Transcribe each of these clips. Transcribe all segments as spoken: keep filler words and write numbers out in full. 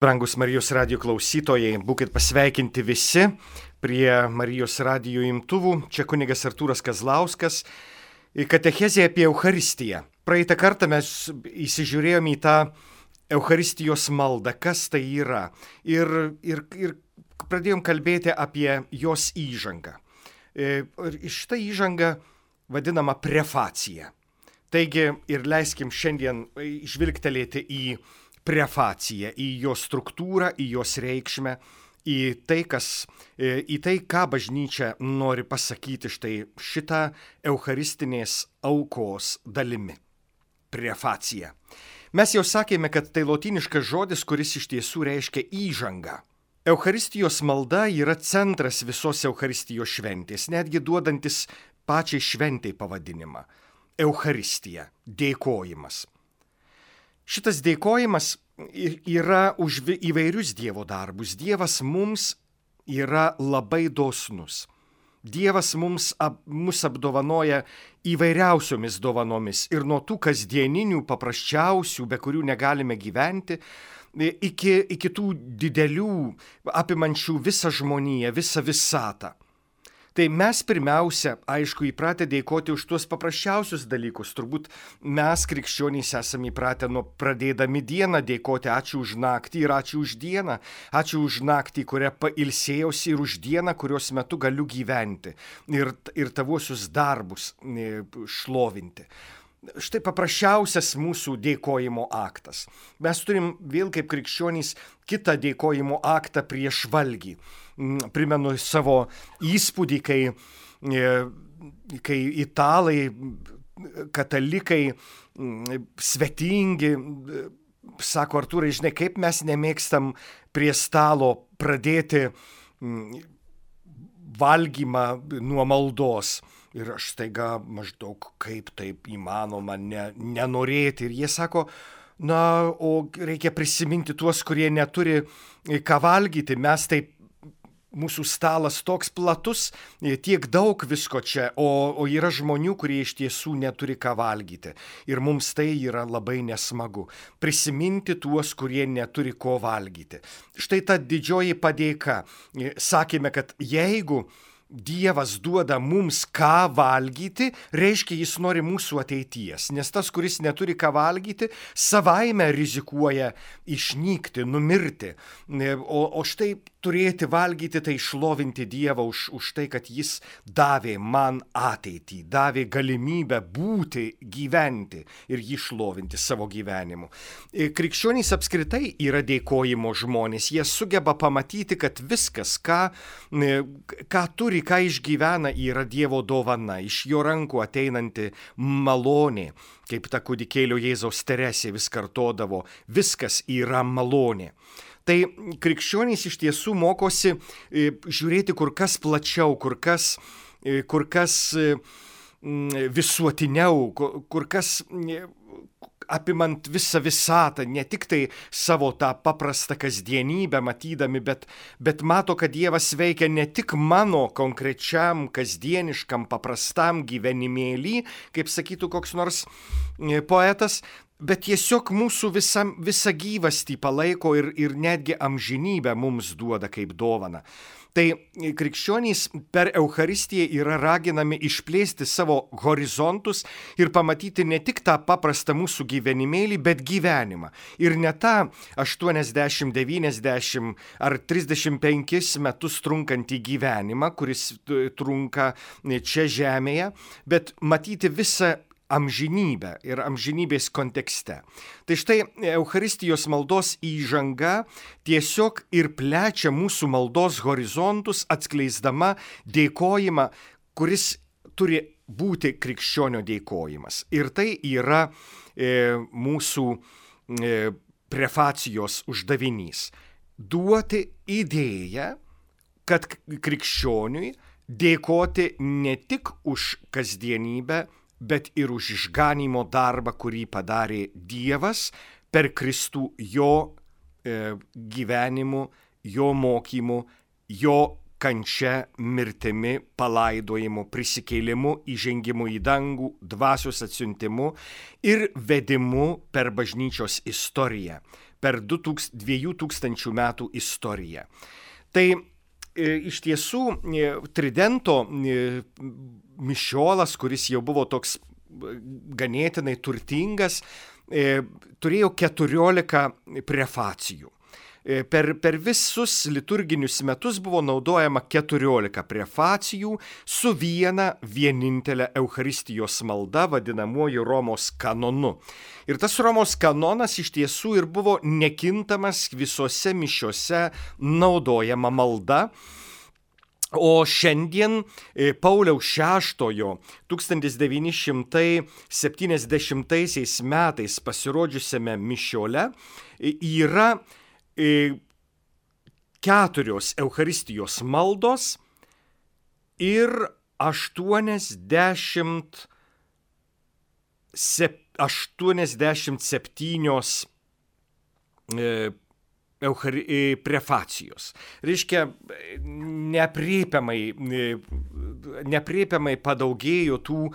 Brangus Marijos radijo klausytojai, būkit pasveikinti visi prie Marijos radijo imtuvų. Čia kunigas Artūras Kazlauskas. Katechezė apie Eucharistiją. Praeitą kartą mes įsižiūrėjome į tą Eucharistijos maldą, kas tai yra. Ir, ir, ir pradėjom kalbėti apie jos įžangą. Ir šitą įžangą vadinama prefacija. Taigi ir leiskim šiandien žvilgtelėti į prefaciją, į jos struktūrą, į jos reikšmę, į tai, kas, į tai, ką bažnyčia nori pasakyti štai šitą eucharistinės aukos dalimi. Prefacija. Mes jau sakėme, kad tai lotyniškas žodis, kuris iš tiesų reiškia įžangą. Eucharistijos malda yra centras visos Eucharistijos šventės, netgi duodantis pačiai šventai pavadinimą. Eucharistija, dėkojimas. Šitas dėkojimas yra už įvairius Dievo darbus. Dievas mums yra labai dosnus. Dievas mums ap, mus apdovanoja įvairiausiomis dovanomis ir nuo tų kasdieninių, paprasčiausių, be kurių negalime gyventi, iki, iki tų didelių, apimančių visą žmoniją, visą visatą. Tai mes pirmiausia, aišku, įpratę dėkoti už tuos paprasčiausius dalykus. Turbūt mes, krikščionys, esame įpratę nuo pradėdami dieną dėkoti ačiū už naktį ir ačiū už dieną. Ačiū už naktį, kurią pailsėjausi, ir už dieną, kurios metu galiu gyventi ir, ir tavuosius darbus šlovinti. Štai paprasčiausias mūsų dėkojimo aktas. Mes turim vėl kaip krikščionys kitą dėkojimo aktą prieš valgį. Primenu savo įspūdį, kai, kai italai, katalikai, svetingi, sako Artūrai, žinai, kaip mes nemėgstam prie stalo pradėti valgymą nuo maldos. Ir aš staiga maždaug kaip taip įmanoma ne, nenorėti. Ir jie sako, na, o reikia prisiminti tuos, kurie neturi ką valgyti. Mes taip, mūsų stalas toks platus, tiek daug visko čia, o, o yra žmonių, kurie iš tiesų neturi ką valgyti. Ir mums tai yra labai nesmagu. Prisiminti tuos, kurie neturi ko valgyti. Štai ta didžioji padėka. Sakėme, kad jeigu Dievas duoda mums ką valgyti, reiškia, jis nori mūsų ateities, nes tas, kuris neturi ką valgyti, savaime rizikuoja išnykti, numirti. O, o štai turėti valgyti, tai šlovinti Dievą už, už tai, kad jis davė man ateitį, davė galimybę būti, gyventi ir jį šlovinti savo gyvenimu. Krikščionys apskritai yra dėkojimo žmonės, jie sugeba pamatyti, kad viskas, ką, ką turi, ką išgyvena, yra Dievo dovana, iš jo rankų ateinanti malonė, kaip ta kūdikėlio Jėzaus Teresė vis kartodavo, viskas yra malonė. Tai krikščionys iš tiesų mokosi žiūrėti kur kas plačiau, kur kas, kur kas visuotiniau, kur kas apimant visą visatą, ne tik tai savo tą paprastą kasdienybę matydami, bet, bet mato, kad Dievas veikia ne tik mano konkrečiam, kasdieniškam, paprastam gyvenimėlį, kaip sakytų koks nors poetas, bet tiesiog mūsų visa, visa gyvastį palaiko ir, ir netgi amžinybę mums duoda kaip dovaną. Tai krikščionys per Eucharistiją yra raginami išplėsti savo horizontus ir pamatyti ne tik tą paprastą mūsų gyvenimėlį, bet gyvenimą. Ir ne tą aštuoniasdešimt, devyniasdešimt ar trisdešimt penkis metus trunkantį gyvenimą, kuris trunka čia žemėje, bet matyti visą amžinybę ir amžinybės kontekste. Tai štai Eucharistijos maldos įžanga tiesiog ir plečia mūsų maldos horizontus, atskleisdama dėkojimą, kuris turi būti krikščionio dėkojimas. Ir tai yra e, mūsų e, prefacijos uždavinys. Duoti idėją, kad krikščioniui dėkoti ne tik už kasdienybę, bet ir už išganymo darbą, kurį padarė Dievas per Kristų jo e, gyvenimu, jo mokymu, jo kančia, mirtimi, palaidojimu, prisikėlimu, įžengimu į dangų, dvasios atsiuntimu ir vedimu per bažnyčios istoriją, per dviejų tūkstančių metų istoriją. Tai iš tiesų Tridento mišiolas, kuris jau buvo toks ganėtinai turtingas, turėjo keturiolika prefacijų. Per, per visus liturginius metus buvo naudojama keturiolika prefacijų su viena vienintelė Eucharistijos malda, vadinamuoju Romos kanonu. Ir tas Romos kanonas iš tiesų ir buvo nekintamas visose mišiose naudojama malda. O šiandien Pauliaus šeštojo tūkstantis devyni šimtai septyniasdešimtaisiais metais pasirodžiusiame mišiole yra keturios Eucharistijos maldos ir aštuoniasdešimt, sep, aštuoniasdešimt septynios e, Euchari, prefacijos. Reiškia, neaprėpiamai, neaprėpiamai padaugėjo tų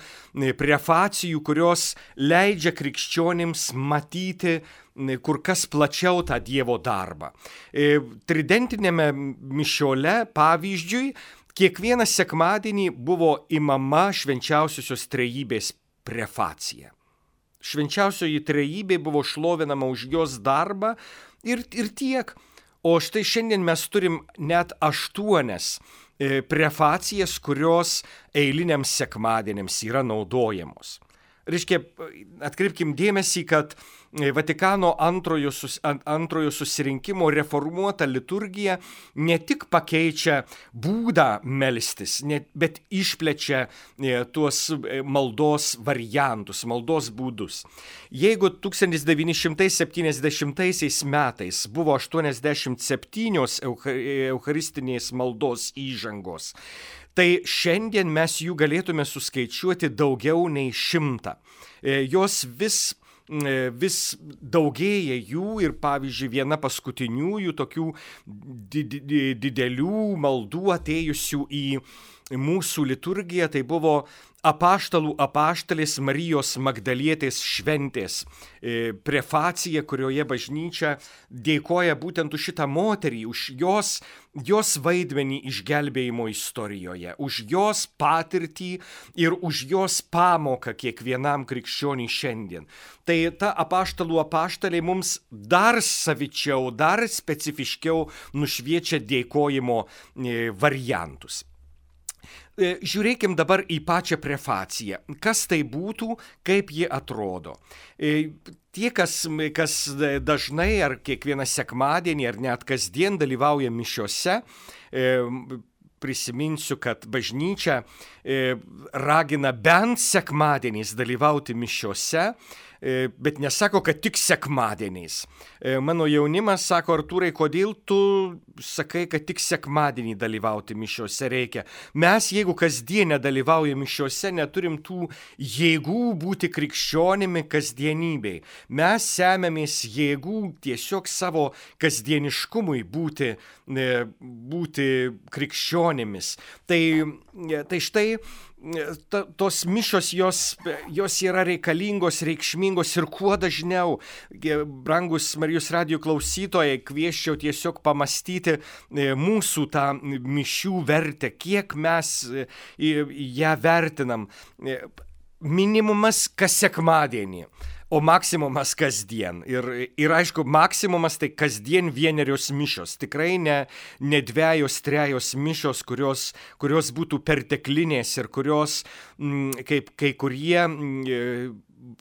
prefacijų, kurios leidžia krikščionims matyti kur kas plačiau tą Dievo darbą. Tridentinėme mišiole, pavyzdžiui, kiekvieną sekmadienį buvo imama švenčiausiosios trejybės prefacija. Švenčiausioji trejybė buvo šlovinama už jos darbą ir, ir tiek. O štai šiandien mes turim net aštuonias prefacijas, kurios eiliniams sekmadieniams yra naudojamos. Reiškia, atkreipkim dėmesį, kad Vatikano antrojo, sus, antrojo susirinkimo reformuota liturgija ne tik pakeičia būdą melstis, net, bet išplečia tuos maldos variantus, maldos būdus. Jeigu tūkstantis devyni šimtai septyniasdešimtaisiais metais buvo aštuoniasdešimt septynios eucharistinės maldos įžangos, tai šiandien mes jų galėtume suskaičiuoti daugiau nei šimtą. Jos vis vis daugėja jų ir, pavyzdžiui, viena paskutiniųjų tokių didelių maldų atėjusių į mūsų liturgiją, tai buvo apaštalų apaštalės Marijos Magdalietės šventės prefacija, kurioje bažnyčia dėkoja būtent už šitą moterį, už jos, jos vaidmenį išgelbėjimo istorijoje, už jos patirtį ir už jos pamoką kiekvienam krikščioniui šiandien. Tai ta apaštalų apaštalė mums dar savičiau, dar specifiškiau nušviečia dėkojimo variantus. Žiūrėkim dabar į pačią prefaciją. Kas tai būtų, kaip ji atrodo. Tie, kas, kas dažnai ar kiekvieną sekmadienį ar net kasdien dalyvauja mišiose, prisiminsiu, kad bažnyčia ragina bent sekmadieniais dalyvauti mišiose, bet nesako, kad tik sekmadieniais. Mano jaunimas sako: Artūrai, kodėl tu sakai, kad tik sekmadienį dalyvauti mišiose reikia? Mes, jeigu kasdien nedalyvaujame mišiose, neturim tų jėgų būti krikščionimi kasdienybei. Mes semiamės jėgų tiesiog savo kasdieniškumui būti, būti krikščionimis. Tai, tai štai Ta, tos mišios, jos, jos yra reikalingos, reikšmingos ir kuo dažniau, brangus Marijos radijo klausytojai, kviesčiau tiesiog pamastyti mūsų tą mišių vertę, kiek mes ją vertinam. Minimumas kas sekmadienį, o maksimumas kasdien. Ir, ir aišku, maksimumas tai kasdien vienerios mišios. Tikrai ne, ne dvejos, trejos mišios, kurios, kurios būtų perteklinės ir kurios, kaip kai kurie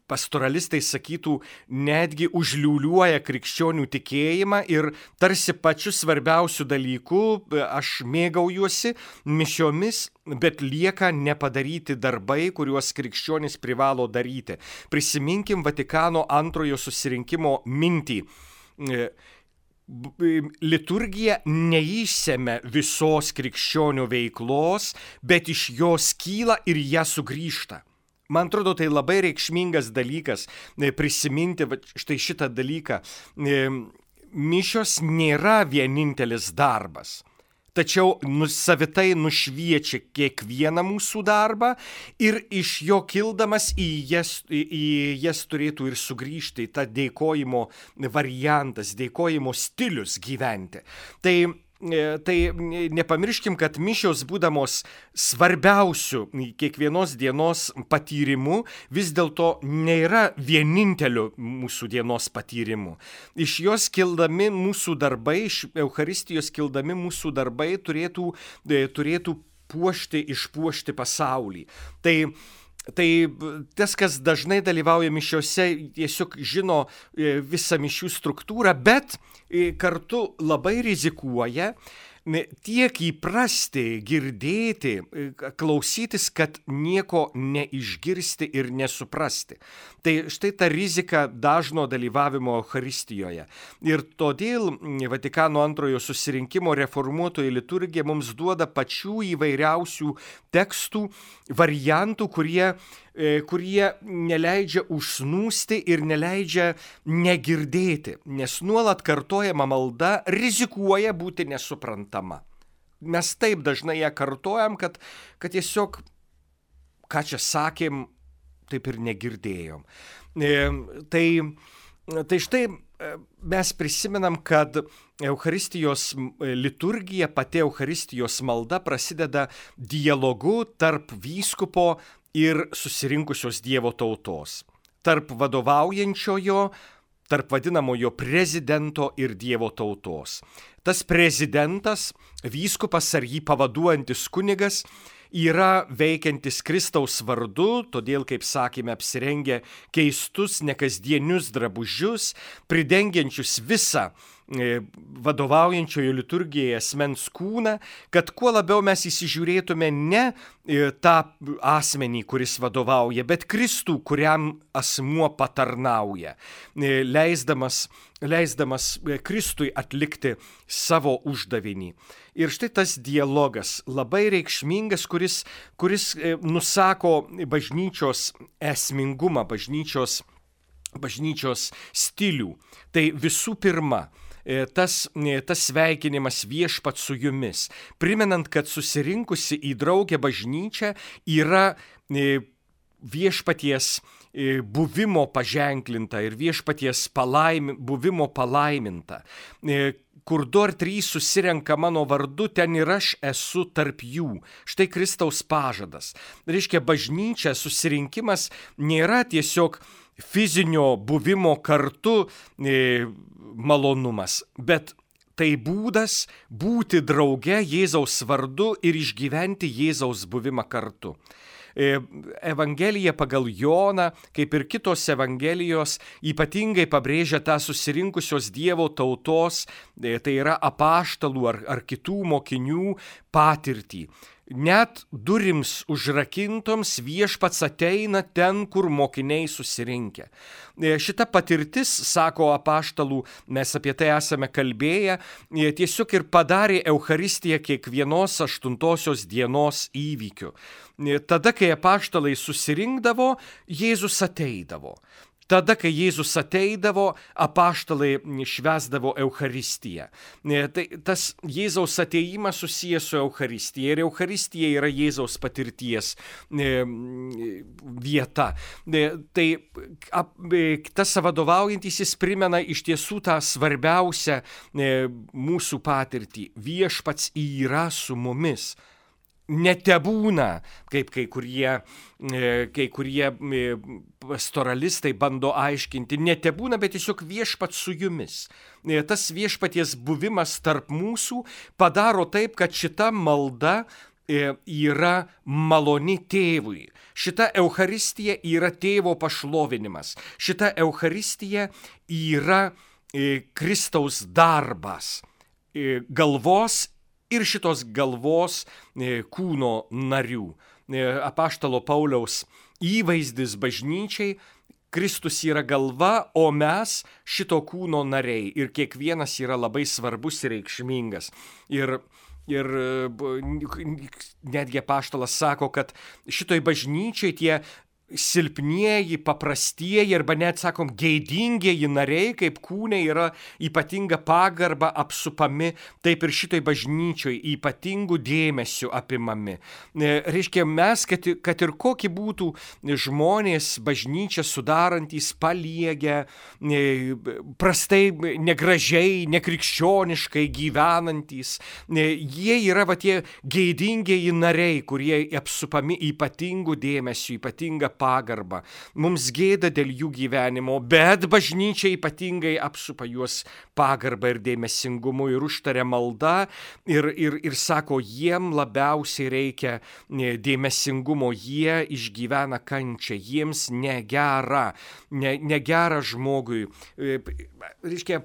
pastoralistai sakytų, netgi užliūliuoja krikščionių tikėjimą ir tarsi pačiu svarbiausiu dalyku aš mėgaujuosi mišiomis, bet lieka nepadaryti darbai, kuriuos krikščionys privalo daryti. Prisiminkim Vatikano antrojo susirinkimo mintį. Liturgija neišsemia visos krikščionių veiklos, bet iš jos kyla ir ją sugrįžta. Man atrodo, tai labai reikšmingas dalykas prisiminti štai šitą dalyką. Mišios nėra vienintelis darbas. tačiau savitai nušviečia kiekvieną mūsų darbą ir iš jo kildamas į jas, į jas turėtų ir sugrįžti tą dėkojimo variantas, dėkojimo stilius gyventi. Tai Tai nepamirškim, kad mišios būdamos svarbiausių kiekvienos dienos patyrimų vis dėlto nėra vieninteliu mūsų dienos patyrimu. Iš jos kildami mūsų darbai, iš Eucharistijos kildami mūsų darbai turėtų, turėtų puošti, išpuošti pasaulį. Tai Tai tas, kas dažnai dalyvauja mišiose, tiesiog žino visą mišių struktūrą, bet kartu labai rizikuoja tiek įprasti, girdėti, klausytis, kad nieko neišgirsti ir nesuprasti. Tai štai ta rizika dažno dalyvavimo Eucharistijoje. Ir todėl Vatikano antrojo susirinkimo reformuotoji liturgija mums duoda pačių įvairiausių tekstų, variantų, kurie kurie neleidžia užsnūsti ir neleidžia negirdėti, nes nuolat kartojama malda rizikuoja būti nesuprantama. Mes taip dažnai ją kartojam, kad, kad tiesiog, ką čia sakėm, taip ir negirdėjom. Tai, tai štai mes prisimenam, kad Eucharistijos liturgija, pati Eucharistijos malda prasideda dialogu tarp vyskupo ir susirinkusios Dievo tautos, tarp vadovaujančiojo, tarp vadinamojo prezidento ir Dievo tautos. Tas prezidentas, vyskupas ar jį pavaduojantis kunigas, yra veikiantis Kristaus vardu, todėl, kaip sakėme, apsirengia keistus, nekasdienius drabužius, pridengiančius visą vadovaujančiojo liturgijai asmens kūną, kad kuo labiau mes įsižiūrėtume ne tą asmenį, kuris vadovauja, bet Kristų, kuriam asmuo patarnauja, leisdamas, leisdamas Kristui atlikti savo uždavinį. Ir štai tas dialogas labai reikšmingas, kuris, kuris nusako bažnyčios esmingumą, bažnyčios, bažnyčios stilių. Tai visų pirma, Tas, tas sveikinimas viešpat su jumis, primenant, kad susirinkusi į draugę bažnyčią yra viešpaties buvimo paženklinta ir viešpaties palaim, buvimo palaiminta. Kur du ar trys susirenka mano vardu, ten ir aš esu tarp jų. Štai Kristaus pažadas. Reiškia, bažnyčia, susirinkimas nėra tiesiog fizinio buvimo kartu e, malonumas, bet tai būdas būti drauge Jėzaus vardu ir išgyventi Jėzaus buvimą kartu. Evangelija pagal Joną, kaip ir kitos evangelijos, ypatingai pabrėžia tą susirinkusios Dievo tautos, tai yra apaštalų ar, ar kitų mokinių patirtį. Net durims užrakintoms viešpats ateina ten, kur mokiniai susirinkę. Šita patirtis, sako apaštalų, mes apie tai esame kalbėję, tiesiog ir padarė Eucharistiją kiekvienos aštuntosios dienos įvykiu. Tada, kai apaštalai susirinkdavo, Jėzus ateidavo. Tada, kai Jėzus ateidavo, apaštalai švęsdavo Eucharistiją. Tai tas Jėzaus ateimas susijęs su Eucharistija ir Eucharistija yra Jėzaus patirties vieta. Tai tas vadovaujantysis primena iš tiesų tą svarbiausią mūsų patirtį. Viešpats yra su mumis. Netebūna, kaip kai kurie, kai kurie pastoralistai bando aiškinti, netebūna, bet tiesiog viešpats su jumis. Tas viešpaties buvimas tarp mūsų padaro taip, kad šita malda yra maloni tėvui. Šita Eucharistija yra tėvo pašlovinimas. Šita Eucharistija yra Kristaus darbas, galvos ir šitos galvos kūno narių. Apaštalo Pauliaus įvaizdis bažnyčiai, Kristus yra galva, o mes šito kūno nariai. Ir kiekvienas yra labai svarbus ir reikšmingas. Ir, ir netgi apaštalas sako, kad šitoj bažnyčiai tie silpnieji, paprastieji arba net, sakom, geidingieji nariai, kaip kūne yra ypatinga pagarba apsupami, taip ir šitoj bažnyčioj ypatingų dėmesių apimami. Reiškia, mes, kad, kad ir kokie būtų žmonės bažnyčią sudarantys, paliegę, prastai, negražiai, nekrikščioniškai gyvenantys, jie yra va tie geidingieji nariai, kurie apsupami ypatingų dėmesių, ypatinga pagarbą. Mums gėda dėl jų gyvenimo, bet bažnyčia ypatingai apsupa juos pagarbą ir dėmesingumu ir užtaria malda ir, ir, ir sako, jiem labiausiai reikia dėmesingumo, jie išgyvena kančią, jiems negera, ne, negera žmogui. Reiškia,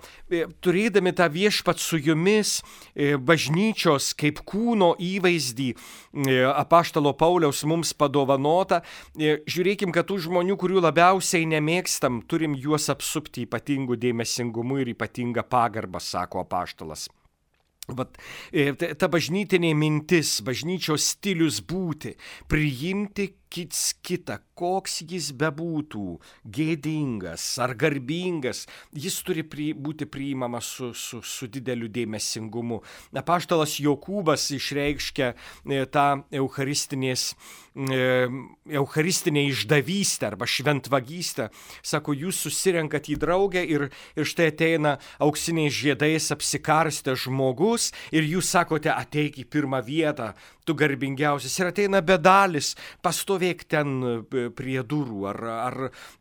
turėdami tą viešpat su jumis bažnyčios kaip kūno įvaizdį apaštalo Pauliaus mums padovanota, žiūrėkim, kad tų žmonių, kurių labiausiai nemėgstam, turim juos apsupti ypatingų dėmesingumu ir ypatingą pagarbą, sako apaštalas. Vat, ta bažnytinė mintis, bažnyčios stilius būti, priimti kits kitą, koks jis bebūtų, gėdingas ar garbingas, jis turi pri, būti priimamas su, su, su dideliu dėmesingumu. Apaštalas Jokūbas išreiškia tą eucharistinės, eucharistinę išdavystę arba šventvagystę. Sako, jūs susirenkat į draugę ir, ir štai ateina auksiniais žiedais apsikarstęs žmogus ir jūs sakote, ateik į pirmą vietą, tu garbingiausias. Ir ateina bedalis, pastovėk ten prie durų ar, ar,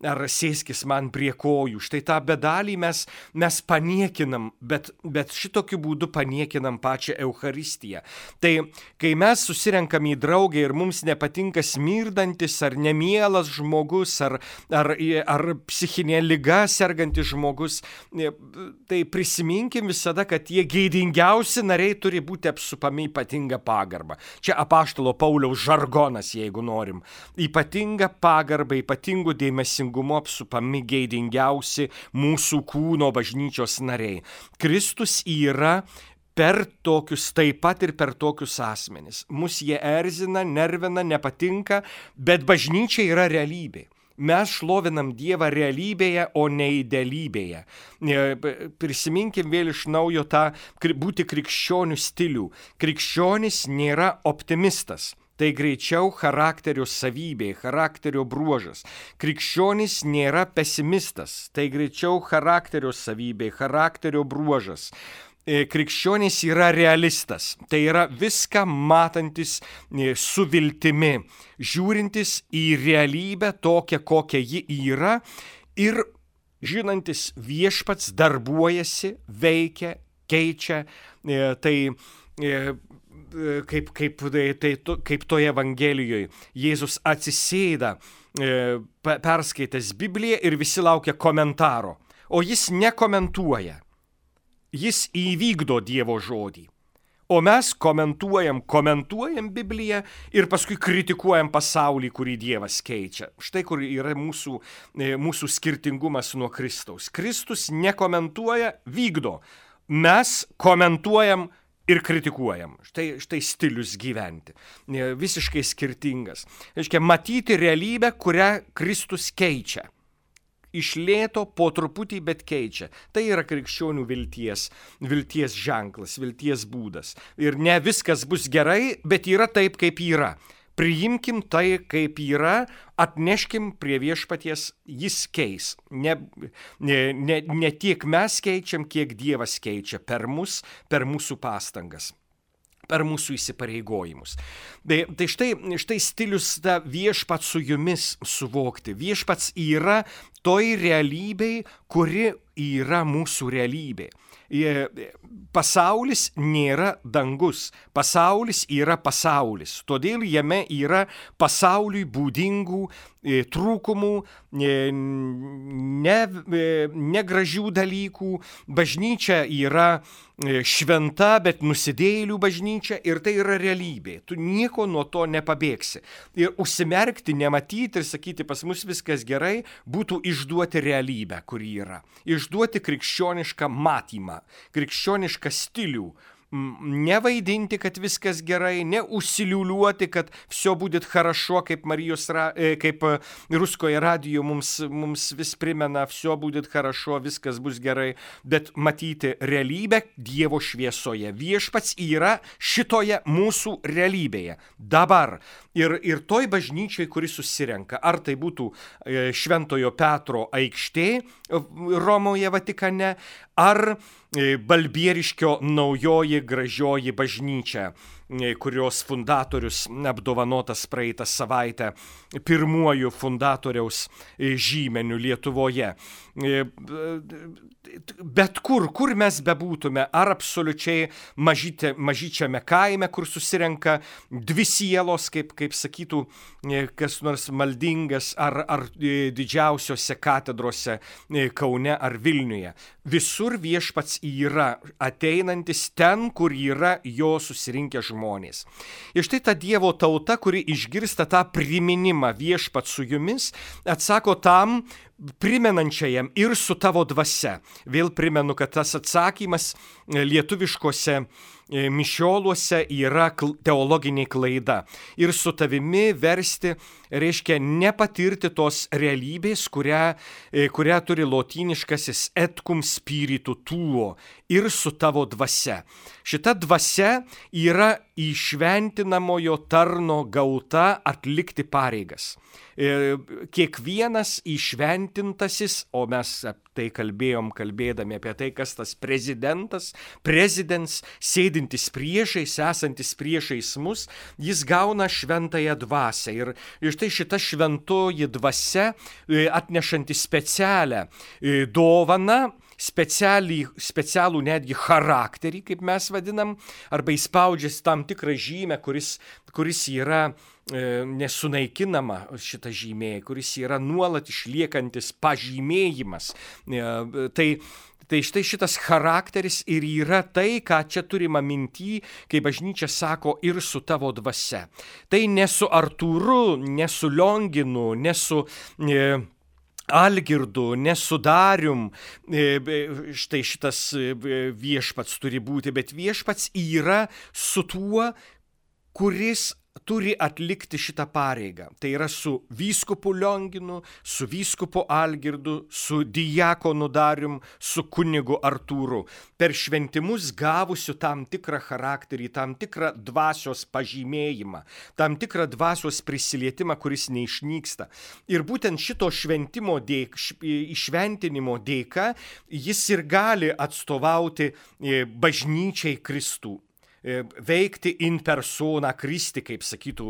ar sėskis man prie kojų. Štai tą bedalį mes, mes paniekinam, bet, bet šitokiu būdu paniekinam pačią Eucharistiją. Tai kai mes susirenkam į draugę ir mums nepatinka smirdantis ar nemielas žmogus, ar, ar, ar psichinė liga sergantis žmogus, tai prisiminkim visada, kad tie geidingiausi nariai turi būti apsupami ypatinga pagarba. Čia apaštalo Pauliaus žargonas, jeigu norim. Ypatinga pagarba, ypatingų dėmesingumu apsupami geidingiausi mūsų kūno bažnyčios nariai. Kristus yra per tokius, taip pat ir per tokius asmenis. Mus jie erzina, nervina, nepatinka, bet bažnyčia yra realybė. Mes šlovinam Dievą realybėje, o ne idealybėje. Prisiminkim vėl iš naujo tą būti krikščionių stilių. Krikščionis nėra optimistas. Tai greičiau charakterio savybė, charakterio bruožas. Krikščionis nėra pesimistas. Tai greičiau charakterio savybė, charakterio bruožas. Krikščionis yra realistas, tai yra viską matantis su viltimi, žiūrintis į realybę tokią, kokia ji yra ir žinantis viešpats darbuojasi, veikia, keičia, tai kaip, kaip, tai, kaip toje Evangelijoje Jėzus atsisėda, perskaitęs Bibliją ir visi laukia komentaro, o jis nekomentuoja. Jis įvykdo Dievo žodį. O mes komentuojam, komentuojam Bibliją ir paskui kritikuojam pasaulį, kurį Dievas keičia. Štai kur yra mūsų, mūsų skirtingumas nuo Kristaus. Kristus nekomentuoja, vykdo. Mes komentuojam ir kritikuojam. Štai, štai stilius gyventi. Visiškai skirtingas. Reiškia, matyti realybę, kurią Kristus keičia. Iš lėto, po truputį, bet keičia. Tai yra krikščionių vilties, vilties ženklas, vilties būdas. Ir ne viskas bus gerai, bet yra taip, kaip yra. Priimkim tai, kaip yra, atneškim prie viešpaties, jis keis. Ne, ne, ne, ne tiek mes keičiam, kiek Dievas keičia per mus, per mūsų pastangas, per mūsų įsipareigojimus. Tai, tai štai, štai stilius ta viešpats su jumis suvokti. Viešpats yra toj realybėj, kuri yra mūsų realybė. Pasaulis nėra dangus, pasaulis yra pasaulis, todėl jame yra pasauliui būdingų trūkumų, negražių ne, ne dalykų. Bažnyčia yra šventa, bet nusidėjėlių bažnyčia ir tai yra realybė. Tu nieko nuo to nepabėgsi. Ir užsimerkti, nematyti ir sakyti, pas mus viskas gerai, būtų išduoti realybę, kuri yra. Išduoti krikščionišką matymą, krikščionišką stilių, nevaidinti, kad viskas gerai, neužsiliuliuoti, kad все будет хорошо, kaip Marijos, kaip Ruskoje radijo mums, mums vis primena, все будет хорошо, viskas bus gerai, bet matyti realybę Dievo šviesoje. Viešpats yra šitoje mūsų realybėje. Dabar. Ir, ir toj bažnyčiai, kuri susirenka, ar tai būtų Šventojo Petro aikštė Romoje, Vatikane, ar Balbieriškio naujoji gražioji bažnyčia, kurios fundatorius apdovanotas praeitą savaitę pirmuoju fundatoriaus žymeniu Lietuvoje. Bet kur, kur mes bebūtume, ar absoliučiai mažyte, mažyčiame kaime, kur susirenka dvi sielos, kaip, kaip sakytų kas nors maldingas, ar, ar didžiausiose katedrose Kaune ar Vilniuje. Visur viešpats yra ateinantis ten, kur yra jo susirinkę žmonės. Ir štai ta Dievo tauta, kuri išgirsta tą priminimą viešpats su jumis, atsako tam primenančiajam ir su tavo dvasia. Vėl primenu, kad tas atsakymas lietuviškose mišioluose yra teologinė klaida. Ir su tavimi versti reiškia nepatirti tos realybės, kurią, kurią turi lotyniškasis et cum spiritu tuo, ir su tavo dvasia. Šita dvasia yra įšventinamojo tarno gauta atlikti pareigas. Kiekvienas įšventintasis, o mes tai kalbėjom, kalbėdami apie tai, kas tas prezidentas, prezidents, sėdintis priešais, esantis priešais mus, jis gauna šventąją dvasią. Ir, ir štai šita šventoji dvasia, atnešanti specialią dovaną, specialį, specialų netgi charakterį, kaip mes vadinam, arba įspaudžiasi tam tikrą žymę, kuris, kuris yra e, nesunaikinama šita žymė, kuris yra nuolat išliekantis pažymėjimas. E, tai Tai štai šitas charakteris ir yra tai, ką čia turima minty, kai bažnyčia sako ir su tavo dvasia. Tai ne su Artūru, ne su Lionginu, ne su E, Algirdu, nesudarium, štai šitas viešpats turi būti, bet viešpats yra su tuo, kuris turi atlikti šitą pareigą. Tai yra su vyskupu Lionginu, su vyskupu Algirdu, su diakonu Darium, su kunigu Artūru. Per šventimus gavusiu tam tikrą charakterį, tam tikrą dvasios pažymėjimą, tam tikrą dvasios prisilietimą, kuris neišnyksta. Ir būtent šito šventimo dėk, išventinimo dėka jis ir gali atstovauti bažnyčiai Kristų. Veikti in persona Christi, kaip sakytų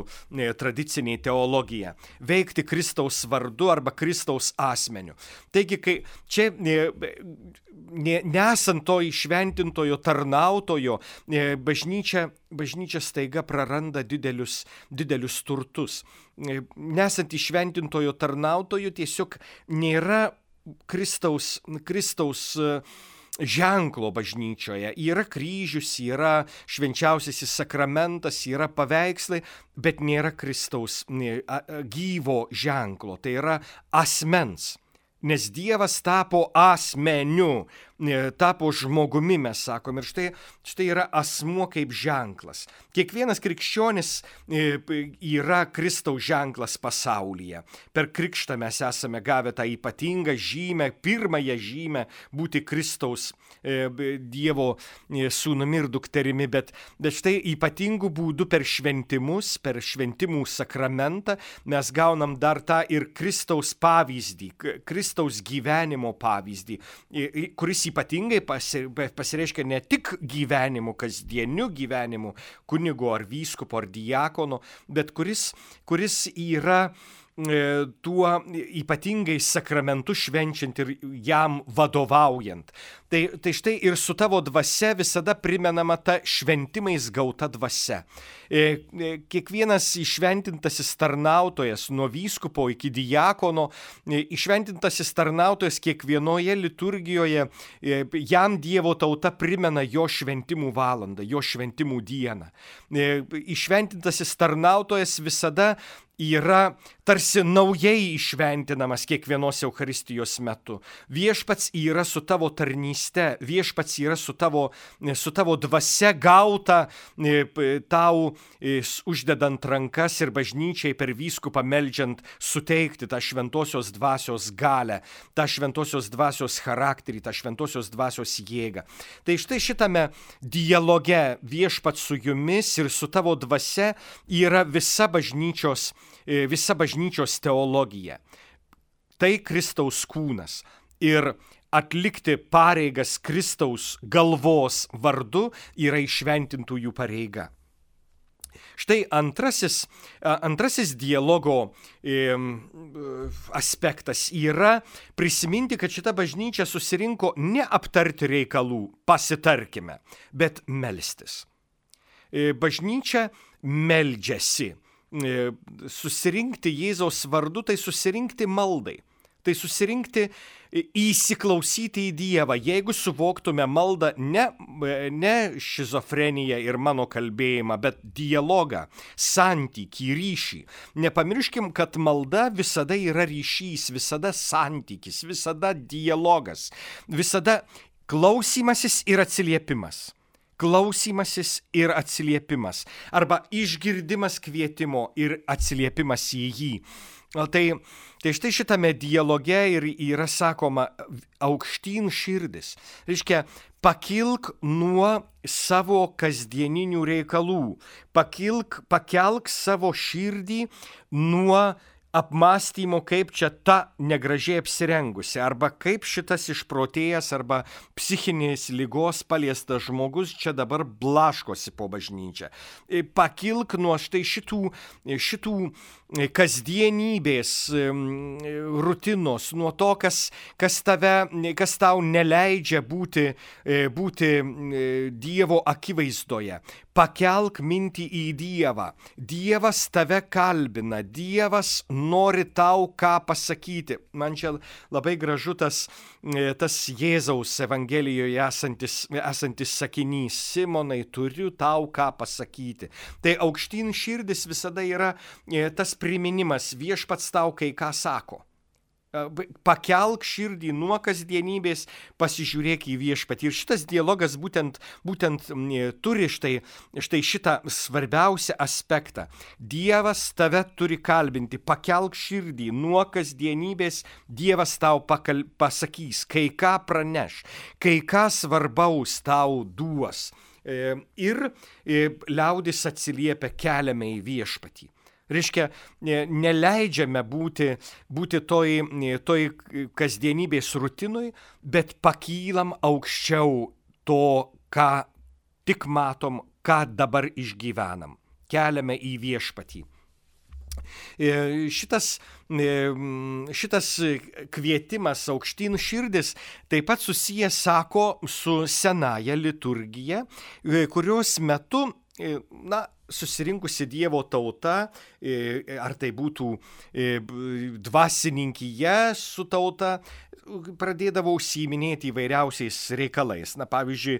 tradicinė teologija. Veikti Kristaus vardu arba Kristaus asmeniu. Taigi, kai čia ne, nesant to išventintojo tarnautojo, bažnyčia, bažnyčia staiga praranda didelius, didelius turtus. Nesant išventintojo tarnautojo tiesiog nėra Kristaus, Kristaus ženklo bažnyčioje. Yra kryžius, yra švenčiausiasis sakramentas, yra paveikslai, bet nėra Kristaus gyvo ženklo. Tai yra asmens. Nes Dievas tapo asmeniu, tapo žmogumi, mes sakom. Ir štai, štai yra asmuo kaip ženklas. Kiekvienas krikščionis yra Kristaus ženklas pasaulyje. Per krikštą mes esame gavę tą ypatingą žymę, pirmąją žymę būti Kristaus Dievo sūnumi ir dukterimi, bet, bet štai ypatingų būdų per šventimus, per šventimų sakramentą mes gaunam dar tą ir Kristaus pavyzdį, Kristaus gyvenimo pavyzdį, kuris ypatingai pasireiškia ne tik gyvenimu, kasdieniu gyvenimu, kunigo ar vyskupo ar diakono, bet kuris, kuris yra tuo ypatingai sakramentu švenčiant ir jam vadovaujant. Tai, tai štai ir su tavo dvasia visada primenama ta šventimais gauta dvasia. Kiekvienas išventintasis tarnautojas, nuo vyskupo iki diakono, išventintasis tarnautojas kiekvienoje liturgijoje, jam Dievo tauta primena jo šventimų valandą, jo šventimų dieną. Išventintasis tarnautojas visada yra tarsi naujai išventinamas kiekvienos Eucharistijos metu. Viešpats yra su tavo tarnyste, viešpats yra su tavo, su tavo dvasia gauta tau uždedant rankas ir bažnyčiai per vyskupą meldžiant suteikti tą šventosios dvasios galę, tą šventosios dvasios charakterį, tą šventosios dvasios jėgą. Tai štai šitame dialoge viešpats su jumis ir su tavo dvasia yra visa bažnyčios visa bažnyčios teologija. Tai Kristaus kūnas. Ir atlikti pareigas Kristaus galvos vardu yra įšventintųjų pareiga. Štai antrasis, antrasis dialogo aspektas yra prisiminti, kad šita bažnyčia susirinko ne aptarti reikalų, pasitarkime, bet melstis. Bažnyčia meldžiasi. Susirinkti Jėzaus vardu, tai susirinkti maldai, tai susirinkti įsiklausyti į Dievą. Jeigu suvoktume maldą ne, ne šizofreniją ir mano kalbėjimą, bet dialogą, santykį, ryšį. Nepamirškim, kad malda visada yra ryšys, visada santykis, visada dialogas, visada klausymasis ir atsiliepimas. Klausymasis ir atsiliepimas, arba išgirdimas kvietimo ir atsiliepimas į jį. Tai, tai štai šitame dialoge ir yra sakoma aukštyn širdis. Reiškia, pakilk nuo savo kasdieninių reikalų, pakilk, pakelk savo širdį nuo apmąstymo, kaip čia ta negražiai apsirengusi, arba kaip šitas išprotėjęs arba psichinės ligos paliestas žmogus čia dabar blaškosi po bažnyčią. Pakilk nuo štai šitų, šitų kasdienybės rutinos, nuo to, kas, kas, tave, kas tau neleidžia būti, būti Dievo akivaizdoje. Pakelk mintį į Dievą. Dievas tave kalbina, Dievas nori tau ką pasakyti. Man čia labai gražu tas, tas Jėzaus Evangelijoje esantis, esantis sakinys. Simonai, turiu tau ką pasakyti. Tai aukštyn širdis visada yra tas priminimas, viešpats tau kai ką sako. Pakelk širdį nuo kasdienybės, pasižiūrėk į viešpatį. Ir šitas dialogas būtent, būtent turi štai, štai šitą svarbiausią aspektą. Dievas tave turi kalbinti, pakelk širdį nuo kasdienybės, Dievas tau pakal, pasakys, kai ką praneš, kai ką svarbaus tau duos. Ir liaudis atsiliepia, keliame į viešpatį. Reiškia, neleidžiame būti, būti toj, toj kasdienybės rutinui, bet pakylam aukščiau to, ką tik matom, ką dabar išgyvenam. Keliame į viešpatį. Šitas, šitas kvietimas aukštyn širdis taip pat susijęs, sako, su senaja liturgija, kurios metu, na, susirinkusi Dievo tauta, ar tai būtų dvasininkyje su tauta, pradėdavo užsiiminėti įvairiausiais reikalais. Na, pavyzdžiui,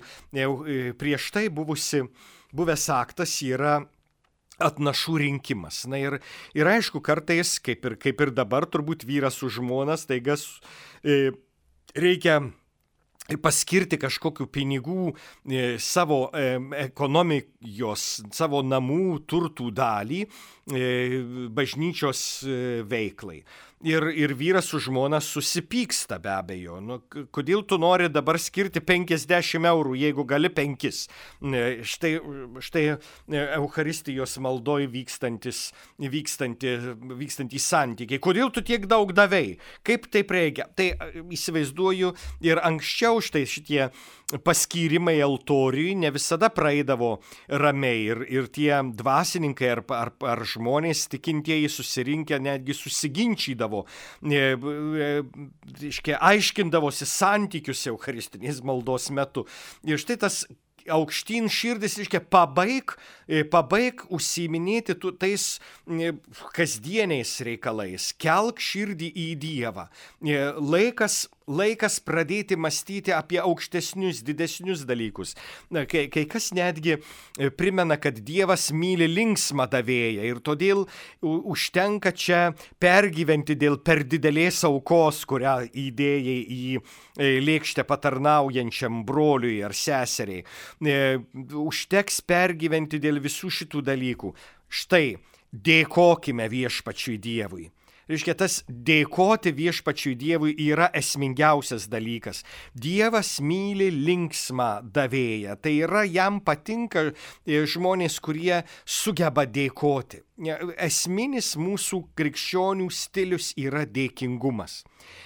prieš tai buvusi, buvęs aktas yra atnašų rinkimas. Na ir, ir aišku, kartais, kaip ir, kaip ir dabar, turbūt vyras su žmona, staiga e, reikia paskirti kažkokių pinigų e, savo e, ekonomijos, savo namų turtų dalį e, bažnyčios e, veiklai. Ir, ir vyras su žmona susipyksta be abejo. Nu, kodėl tu nori dabar skirti penkiasdešimt eurų, jeigu gali penkis? Štai, štai Eucharistijos maldoj vykstantis, vykstanti, vykstantys santykiai. Kodėl tu tiek daug davei? Kaip taip reikia? Tai įsivaizduoju ir anksčiau štai šitie paskyrimai altoriui ne visada praeidavo ramiai. Ir, ir tie dvasininkai ar, ar, ar žmonės tikintieji susirinkę netgi susiginčydavo. Reiškia, aiškindavosi santykius eucharistinės maldos metu. Ir štai tas aukštyn širdis, reiškia, pabaig, pabaig užsiiminėti tais kasdieniais reikalais, kelk širdį į Dievą. Laikas laikas pradėti mąstyti apie aukštesnius, didesnius dalykus. Kai, kai kas netgi primena, kad Dievas myli linksmą davėją ir todėl užtenka čia pergyventi dėl per didelės aukos, kurią įdėjai į lėkštę patarnaujančiam broliui ar seseriai. Užteks pergyventi dėl visų šitų dalykų. Štai, dėkokime viešpačiui Dievui. Reiškia, tas dėkoti viešpačiui Dievui yra esmingiausias dalykas. Dievas myli linksmą davėją. Tai yra, jam patinka žmonės, kurie sugeba dėkoti. Esminis mūsų krikščionių stilius yra dėkingumas.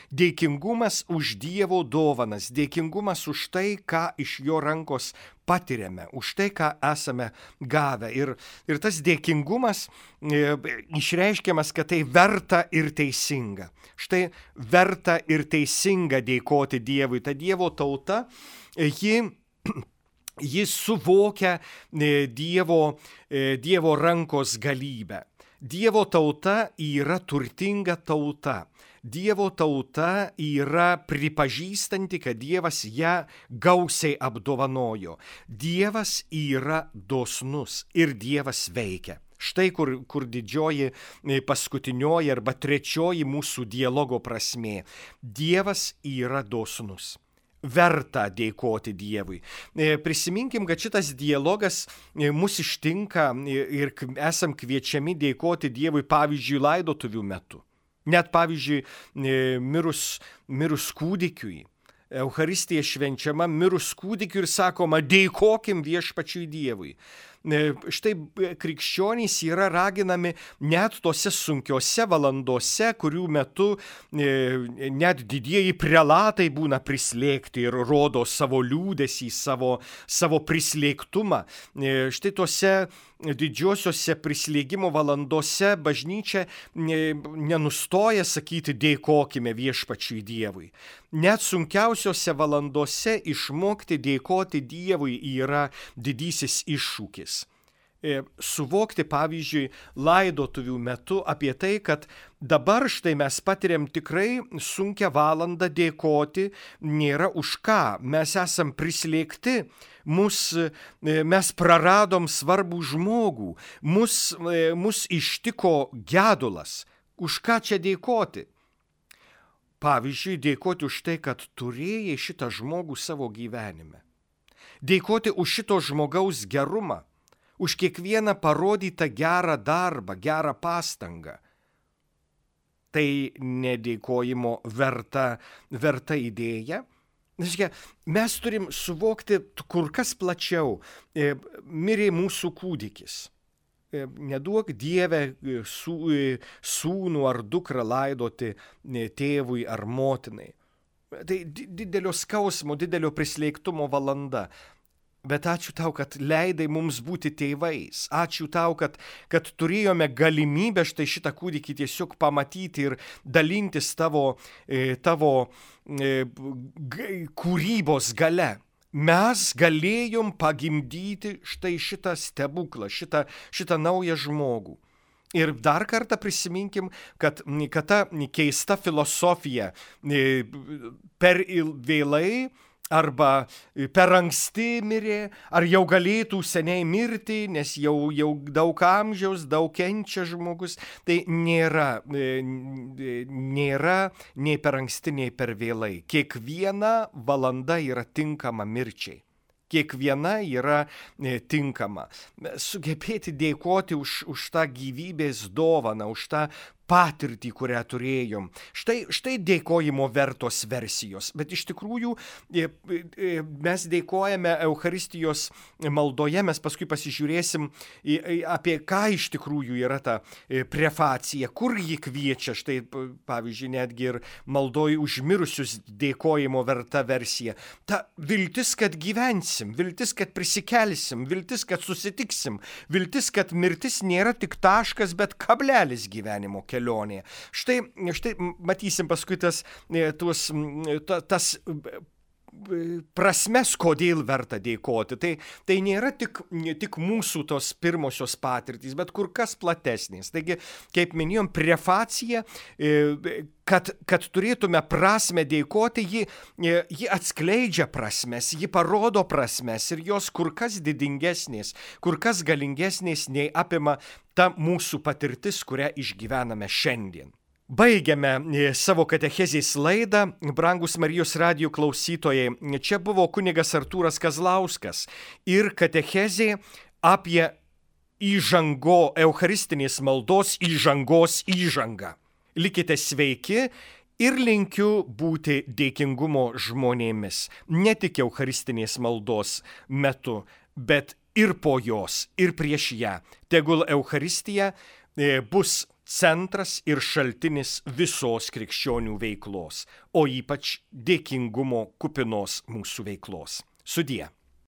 Dėkingumas už Dievo dovanas, dėkingumas už tai, ką iš jo rankos patiriame, už tai, ką esame gavę. Ir, ir tas dėkingumas e, išreiškiamas, kad tai verta ir teisinga. Štai verta ir teisinga dėkoti Dievui. Ta Dievo tauta, ji... Jis suvokia Dievo, Dievo rankos galybę. Dievo tauta yra turtinga tauta. Dievo tauta yra pripažįstanti, kad Dievas ją gausiai apdovanojo. Dievas yra dosnus ir Dievas veikia. Štai kur, kur didžioji paskutinioji arba trečioji mūsų dialogo prasmė. Dievas yra dosnus. Verta dėkoti Dievui. Prisiminkim, kad šitas dialogas mus ištinka ir esam kviečiami dėkoti Dievui, pavyzdžiui, laidotuvių metu. Net, pavyzdžiui, mirus, mirus kūdikiui. Eucharistija švenčiama mirus kūdikiui ir sakoma, dėkokim viešpačiui Dievui. Štai krikščionys yra raginami net tose sunkiose valandose, kurių metu net didieji prelatai būna prislėgti ir rodo savo liūdesį, savo, savo prislėgtumą. Štai tose didžiosiose prislėgimo valandose bažnyčia nenustoja sakyti dėkokime viešpačiui Dievui. Net sunkiausiose valandose išmokti dėkoti Dievui yra didysis iššūkis. Suvokti, pavyzdžiui, laidotuvių metu apie tai, kad dabar štai mes patiriam tikrai sunkią valandą, dėkoti nėra už ką. Mes esam prislėgti, mus, mes praradom svarbų žmogų, mus, mus ištiko gedulas. Už ką čia dėkoti? Pavyzdžiui, dėkoti už tai, kad turėjai šitą žmogų savo gyvenime. Dėkoti už šito žmogaus gerumą. Už kiekvieną parodytą gerą darbą, gerą pastangą. Tai nedėkojimo verta, verta idėja. Mes turim suvokti kur kas plačiau. Mirė mūsų kūdikis. Neduok Dieve sūnų ar dukrą laidoti tėvui ar motinai. Tai didelio skausmo, didelio prislėgtumo valanda. Bet ačiū tau, kad leidai mums būti tėvais. Ačiū tau, kad, kad turėjome galimybę štai šitą kūdikį tiesiog pamatyti ir dalintis tavo, tavo kūrybos gale. Mes galėjom pagimdyti štai šitą stebuklą, šitą, šitą naują žmogų. Ir dar kartą prisiminkim, kad, kad ta keista filosofija per vėlai arba per anksti mirė, ar jau galėtų seniai mirti, nes jau, jau daug amžiaus, daug kenčia žmogus. Tai nėra, nėra nei per anksti, nei per vėlai. Kiekviena valanda yra tinkama mirčiai. Kiekviena yra tinkama. Sugebėti dėkoti už, už tą gyvybės dovaną, už tą patirtį, kurią turėjom. Štai, štai dėkojimo vertos versijos. Bet iš tikrųjų mes dėkojame Eucharistijos maldoje, mes paskui pasižiūrėsim apie ką iš tikrųjų yra ta prefacija, kur ji kviečia. Štai pavyzdžiui, netgi ir maldoj užmirusius dėkojimo verta versija. Ta viltis, kad gyvensim, viltis, kad prisikelsim, viltis, kad susitiksim, viltis, kad mirtis nėra tik taškas, bet kablelis gyvenimo kelionėje. Štai, štai matysim paskui tas, tuos, ta, tas prasmes, kodėl verta dėkoti. Tai, tai nėra tik, tik mūsų tos pirmosios patirtys, bet kur kas platesnės. Taigi, kaip minėjom, prefacija, kad, kad turėtume prasmę dėkoti, ji, ji atskleidžia prasmes, ji parodo prasmes ir jos kur kas didingesnės, kur kas galingesnės nei apima ta mūsų patirtis, kurią išgyvename šiandien. Baigiame savo katechezės laidą, brangus Marijos radijo klausytojai. Čia buvo kunigas Artūras Kazlauskas ir katechezė apie įžango, eucharistinės maldos įžangos įžangą. Likite sveiki ir linkiu būti dėkingumo žmonėmis, ne tik eucharistinės maldos metu, bet ir po jos, ir prieš ją. Tegul Eucharistija bus centras ir šaltinis visos krikščionių veiklos, o ypač dėkingumo kupinos mūsų veiklos. Sudie.